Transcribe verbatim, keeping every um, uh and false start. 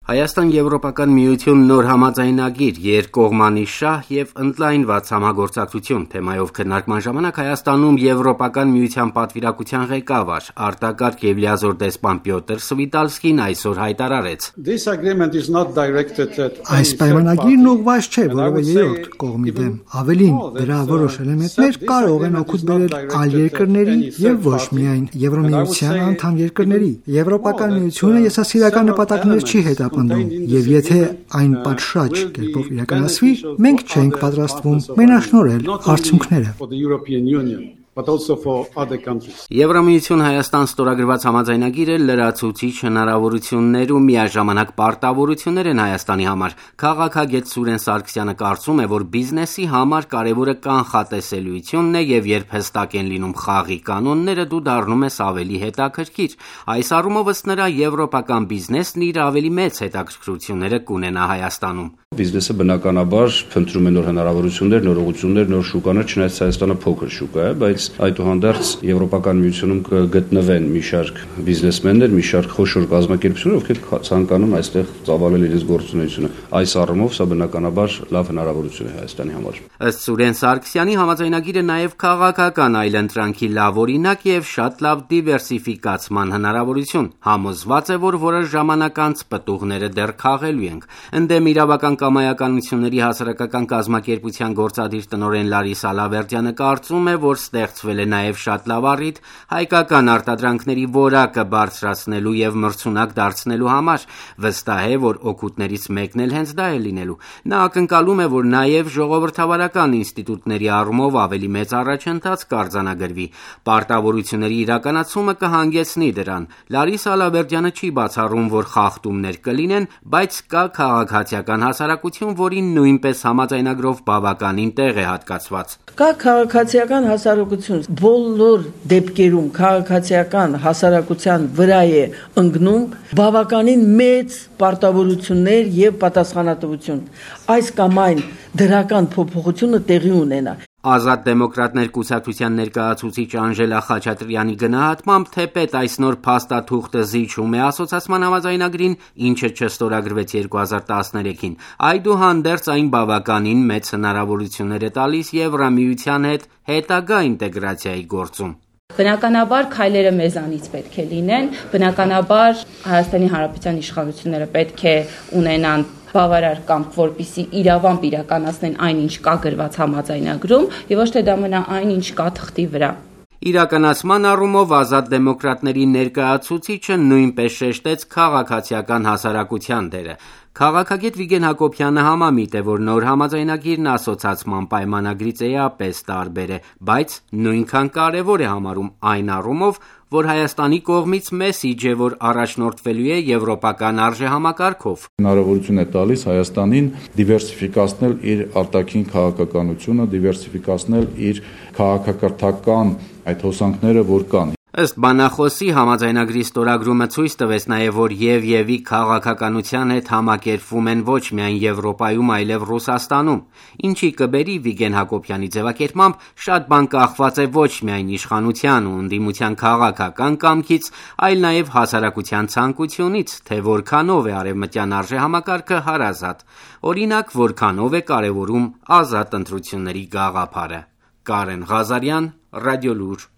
Հայաստան-Եվրոպական միություն նոր համաձայնագիր, երկկողմանի շահ եւ ընդլայնված համագործակցություն թեմայով քննարկման ժամանակ Հայաստանում Եվրոպական միության պատվիրակության ղեկավար, արտակարգ եւ լիազոր դեսպան Պյոտր Սվիտալսկին այսօր հայտարարեց. Այս պայմանագիրն ուղղված չէ որևէ երրորդ կողմի դեմ, ավելին, դրա որոշ էլեմենտներ կարող են օգուտ բերել այլ երկրների եւ ոչ միայն Եվրոմիության անդամ երկրների։ Եվրոպական միությունը եսասիրական նպատակներ չի հետապնդում եւ եթե այն պատշաճ կերպով իրականացվի, մենք չենք պատրաստվում մենաշնորհել արդյունքները։ Եվրամիություն Հայաստան ստորագրված համաձայնագիրը լրացուցիչ հնարավորություններ ու միաժամանակ պարտավորություններ են Հայաստանի համար։ Քաղաքագետ Սուրեն Սարգսյանը կարծում է, որ բիզնեսի համար կարևորը կանխատեսելիությունն է եւ երբ հստակ են լինում խաղի կանոնները, դու դառնում ես ավելի հետաքրքիր։ Այս առումով ըստ նրա եվրոպական բիզնեսն իր ավելի մեծ հետաքրքրությունները կունենա Հայաստանում։ Բիզնեսը բնականաբար փնտրում է նոր հնարավորություններ, նոր ուղղություններ, նոր շուկաներ, չնայած Հայաստանը փոքր շուկա է, բայց այդուհանդերձ Եվրոպական միությունում կգտնվեն մի շարք բիզնեսմեններ, մի շարք խոշոր կազմակերպություններ, ովքեր ցանկանում այստեղ ծավալել իրենց գործունեությունը։ Այս առումով սա բնականաբար լավ հնարավորություն է Հայաստանի համար։ Ըստ Սուրեն Սարգսյանի համաձայնագիրը նաև քաղաքական այլընտրանքի լավ օրինակ եւ շատ լավ դիվերսիֆիկացման հնարավորություն։ Համոզված է, որ որոշ ժամանակ անց պտուղները դեռ քաղելու ենք։ Ընդդեմ իրավական կամայականությունների հասարակական կազմակերպության գործադիր տնօրեն Լարիսա Լավերդյանը կարծում է, որ ստեղծվել է նաև շատ լավ առիթ հայկական արտադրանքների որակը բարձրացնելու եւ մրցունակ դարձնելու համար։ Վստահ է, որ օգուտներից մեկն էլ հենց դա է լինելու։ Նա ակնկալում է, որ նաև ժողովրդավարական ինստիտուտների առումով ավելի մեծ առաջընթաց կարձանագրվի։ Պարտավորությունների իրականացումը կհանգեցնի դրան։ Լարիսա Լավերդյանը չի բացառում, որ խախտումներ կլինեն, բայց կա քաղաքացիական հասարակություն, որին նույնպես համաձայնագրով բավականին տեղ է հատկացված։ Կա քաղաքացիական հասարակություն, բոլոր դեպքերում քաղաքացիական հասարակության վրա է ընկնում բավականին մեծ պարտավորություններ եւ պատասխանատվություն։ Այս կամ այն դրական փոփոխությունը տեղի ունենա։ Ազատ դեմոկրատներ կուսակցության ներկայացուցիչ Անժելա Խաչատրյանի գնահատմամբ, թեպետ այս նոր փաստաթուղթը զիջում է ասոցիացման համաձայնագրին, ինչը չստորագրվեց երկու հազար տասներեքին, այդուհանդերձ այն բավականին մեծ հնարավորություններ է տալիս Եվրամիության հետ հետագա ինտեգրացիայի գործում։ Բնականաբար քայլերը մեզանից պետք է լինեն, բնականաբար Հայաստանի Հանրապետության իշխանությունները պետք է ունենան բավարար կամք, որպեսզի իրավամբ իրականացնեն այն, ինչ կա գրված համաձայնագրում, եւ ոչ թե դա մնա այն, ինչ կա թղթի վրա։ Իրականացման առումով ազատ դեմոկրատների ներկայացուցիչը նույնպես շեշտեց քաղաքացիական հասարակության դերը։ Քաղաքագետ Վիգեն Հակոբյանը համամիտ է, որ նոր համաձայնագիրն ասոցիացման պայմանագրից էապես տարբեր է, բայց նույնքան կարևոր է համարում այն առումով, որ Հայաստանի կողմից մեսիջ է, որ առաջնորդվելու է եվրոպական արժեհամակարգով։ Հնարավորություն է տալիս Հայաստանին դիվերսիֆիկացնել իր արտաքին քաղաքականությունը, դիվերսիֆիկացնել իր քաղաքակրթական այդ հոսանքները, որ կան։ Ըստ բանախոսի համաձայնագրի ստորագրումը ցույց տվեց նաև, որ եւ-եւի քաղաքականության հետ համակերպվում են ոչ միայն Եվրոպայում, այլև Ռուսաստանում, ինչի կբերի Վիգեն Հակոբյանի ձևակերպմամբ շատ բան կախված է ոչ միայն իշխանության ու ընդդիմության քաղաքական կամքից, այլ նաև հասարակության ցանկությունից, թե որքանով է արևմտյան արժեհամակարգը հարազատ, օրինակ որքանով է կարևորում ազատ ընտրությունների գաղափարը։ Կարեն Ղազարյան, Ռադիոլուր